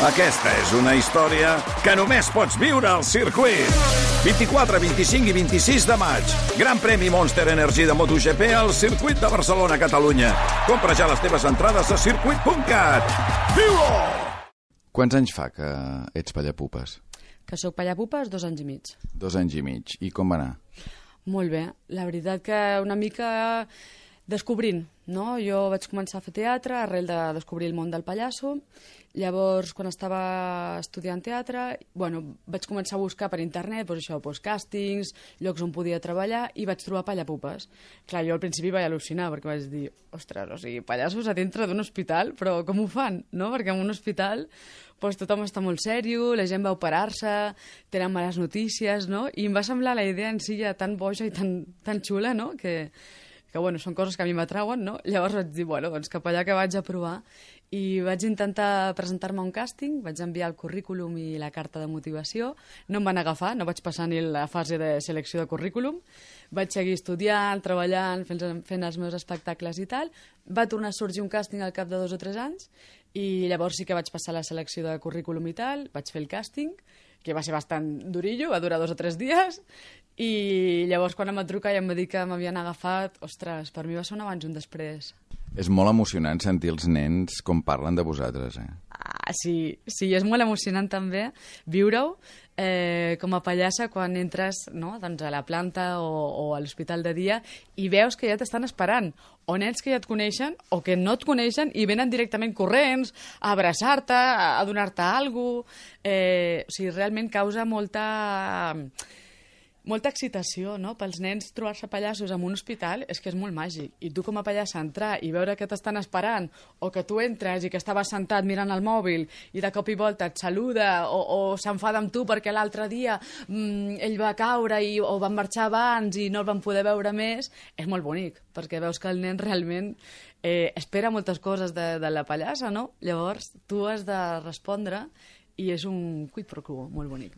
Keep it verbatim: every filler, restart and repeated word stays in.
Aquesta és una història que només pots viure al circuit. vint-i-quatre, vint-i-cinc i vint-i-sis de maig. Gran premi Monster Energy de MotoGP al circuit de Barcelona, Catalunya. Compra ja les teves entrades a circuit punt cat. Viu-ho! Quants anys fa que ets pallapupes? Que sóc pallapupes dos anys i mig. Dos anys i mig. I com va anar? Molt bé. La veritat que una mica descobrint, no? Jo vaig començar a fer teatre arrel de descobrir el món del pallasso. Llavors, quan estava estudiant teatre, bueno, vaig començar a buscar per internet, doncs això, doncs càstings, llocs on podia treballar, i vaig trobar pallapupes. Clar, jo al principi vaig al·lucinar, perquè vaig dir, ostres, o sigui, pallassos a dintre d'un hospital, però com ho fan, no? Perquè en un hospital doncs, tothom està molt sèrio, la gent va operar-se, tenen males notícies, no? I em va semblar la idea en si ja tan boja i tan, tan xula, no? Que, que bueno, són coses que a mi m'atrauen, no? Llavors vaig dir, bueno, doncs cap allà que vaig a provar. I vaig intentar presentar-me a un càsting, vaig enviar el currículum i la carta de motivació, no em van agafar, no vaig passar ni la fase de selecció de currículum, vaig seguir estudiant, treballant, fent, fent els meus espectacles i tal, va tornar a sorgir un càsting al cap de dos o tres anys, i llavors sí que vaig passar la selecció de currículum i tal, vaig fer el càsting, que va ser bastant durillo, va durar dos o tres dies, i llavors quan em va trucar i em va dir que m'havien agafat, ostres, per mi va ser un abans i un després. És molt emocionant sentir els nens com parlen de vosaltres, eh? Ah, sí, sí, és molt emocionant també viure-ho eh, com a pallassa quan entres, no, doncs a la planta o, o a l'hospital de dia i veus que ja t'estan esperant, o nens que ja et coneixen o que no et coneixen i venen directament corrents a abraçar-te, a, a donar-te alguna cosa. Eh, o sigui, realment causa molta... molta excitació, no? Pels nens trobar-se pallassos en un hospital és que és molt màgic. I tu com a pallassa entrar i veure que t'estan esperant o que tu entres i que estaves sentat mirant el mòbil i de cop i volta et saluda o, o s'enfada amb tu perquè l'altre dia mmm, ell va caure i, o van marxar abans i no el van poder veure més, és molt bonic perquè veus que el nen realment eh, espera moltes coses de, de la pallassa, no? Llavors tu has de respondre i és un quid pro quo molt bonic.